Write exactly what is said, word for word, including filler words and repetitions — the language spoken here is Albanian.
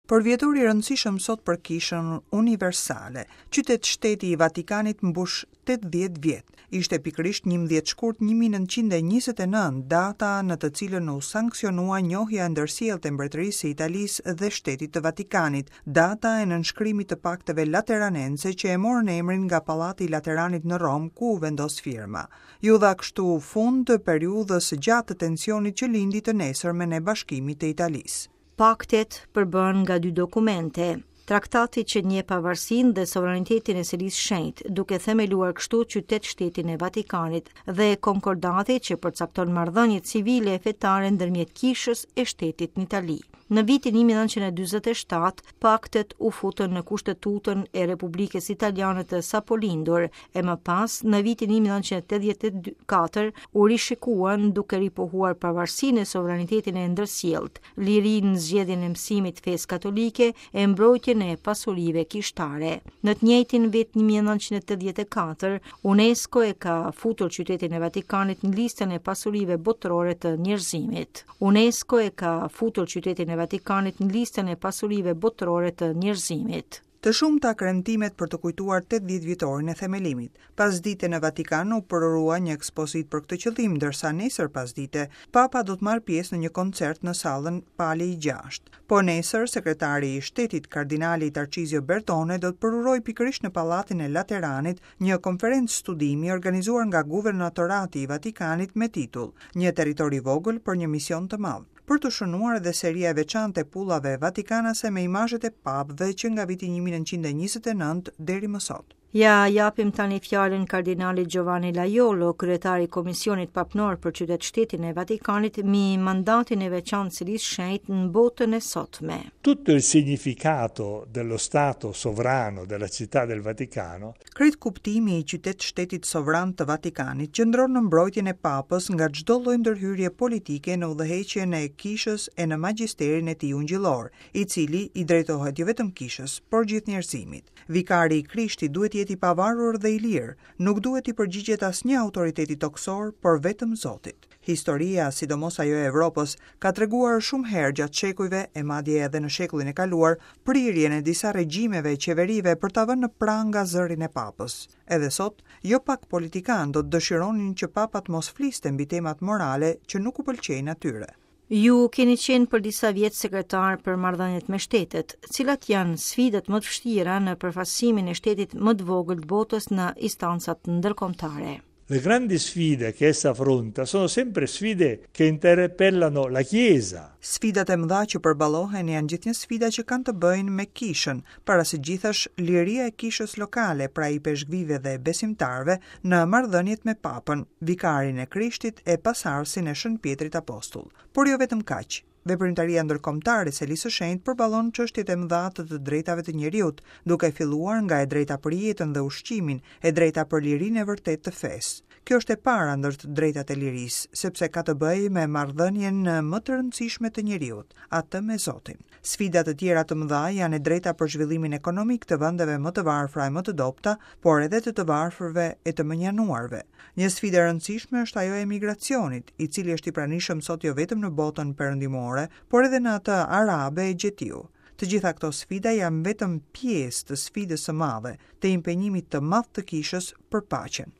Përvjetor i rëndësishëm sot për Kishën Universale. Qytet shteti i Vatikanit mbush tetëdhjetë vjet. Ishte pikërisht njëmbëdhjetë shkurt një mijë e nëntëqind e njëzet e nëntë, data në të cilën u sanksionua njohja e ndërsjelltë e Mbretërisë së Italisë dhe Shtetit të Vatikanit, data e nënshkrimit të pakteve lateranense që e morën emrin nga Pallati i Lateranit në Romë, ku u vendos firma. Ju dha kështu fund periudhës së gjatë të tensionit që lindi të nesërmen e bashkimit të Italisë. Paktet përbën nga dy dokumente. Traktati që njeh pavarësinë dhe sovranitetin e Selisë Shenjtë, duke themeluar kështu qytet shtetin e Vatikanit, dhe konkordati që përcakton marrëdhëniet civile e fetare ndërmjet kishës e shtetit në Itali. Në vitin një mijë e nëntëqind e dyzet e shtatë, paktet u futën në Kushtetutën e Republikës Italiane të sapolindur, e më pas, në vitin një mijë e nëntëqind e tetëdhjetë e katër, u rishikuan duke ripohuar pavarësinë e sovranitetin e ndërsjelltë, lirinë në zgjedhjen e mësimit fesë katolike e mbrojtjen e pasurive kishtare. Në të njëjtin vit një mijë e nëntëqind e tetëdhjetë e katër, UNESCO e ka futur qytetin e Vatikanit në listën e pasurive botërore të njerëzimit. UNESCO e ka futur qytetin e Vatikanit në listën e pasurive botërore të njerëzimit. Të shumta kremtimet për të kujtuar tetëdhjetë vjetorin e themelimit. Pasdite në Vatikan u përurua një ekspozitë për këtë qëllim, ndërsa nesër pasdite Papa do të marrë pjesë në një koncert në sallën Pali i gjashtë. Po nesër, sekretari i shtetit, kardinali Tarcizio Bertone, do të përurojë pikërisht në Pallatin e Lateranit një konferencë studimi organizuar nga Guvernatorati i Vatikanit me titull Një territor i vogël për një mision të madh, për të shënuar edhe seria e veçantë e pullave vatikanase me imazhet e papëve që nga viti një mijë e nëntëqind e njëzet e nëntë deri më sot. Ja japim tani fjalën kardinalit Giovanni Lajolo, kryetari i Komisionit Papnor për Qytet Shtetin e Vatikanit, mi mandatin e veçantë Selisë Shenjtë në botën e sotme. Tutto il significato dello Stato sovrano della Città del Vaticano. Krejt kuptimi i qytet shtetit sovran të Vatikanit qëndron në mbrojtjen e papës nga çdo lloj ndërhyrje politike në udhëheqjen e kishës e në magjisterin e tij ungjillor, i cili i drejtohet jo vetëm kishës, por gjithë njerëzimit. Vikari i Krishtit duhet jetë i pavarur dhe i lirë, nuk duhet i përgjigjet asnjë autoriteti toksor, por vetëm Zotit. Historia, sidomos ajo e Evropës, ka treguar shumë herë gjatë shekujve e madje edhe në shekullin e kaluar, prirjen e disa regjimeve e qeverive për ta vënë në pranga zërin e papës. Edhe sot, jo pak politikanë do të dëshironin që papat mos fliste mbi temat morale që nuk u pëlqejnë atyre. Ju keni qenë për disa vjet sekretar për marrëdhëniet me shtetet. Cilat janë sfidat më të vështira në përfaqësimin e shtetit më të vogël të botës në instancat ndërkombëtare? Le grandi sfide che essa affronta sono sempre sfide che interpellano la Chiesa. Sfidat e mëdha që përballohen janë gjithnjë sfida që kanë të bëjnë me kishën, para së gjithash liria e kishës lokale, pra i peshkvive dhe besimtarëve në marrëdhëniet me papën, vikarin e Krishtit e pasardhësin e Shën Pjetrit Apostull. Por jo vetëm kaq. Veprimtaria ndërkombëtare e Selisë së Shenjtë përballon çështjet e mëdha të të drejtave të njeriut, duke filluar nga e drejta për jetën dhe ushqimin, e drejta për lirinë e vërtetë të fesë. Kjo është e para ndër të drejtat e lirisë, sepse ka të bëjë me marrëdhënien më të rëndësishme të njeriut, atë me Zotin. Sfida të tjera të mëdha janë e drejta për zhvillimin ekonomik të vendeve më të varfra e më të dobta, por edhe të të varfërve e të mënjanuarve. Një sfidë e rëndësishme është ajo e migracionit, i cili është i pranishëm sot jo vetëm në botën perëndimore, por edhe në atë arabe e gjetiu. Të gjitha këto sfida janë vetëm pjesë të sfidës së madhe, të impenjimit të madh të kishës për paqen.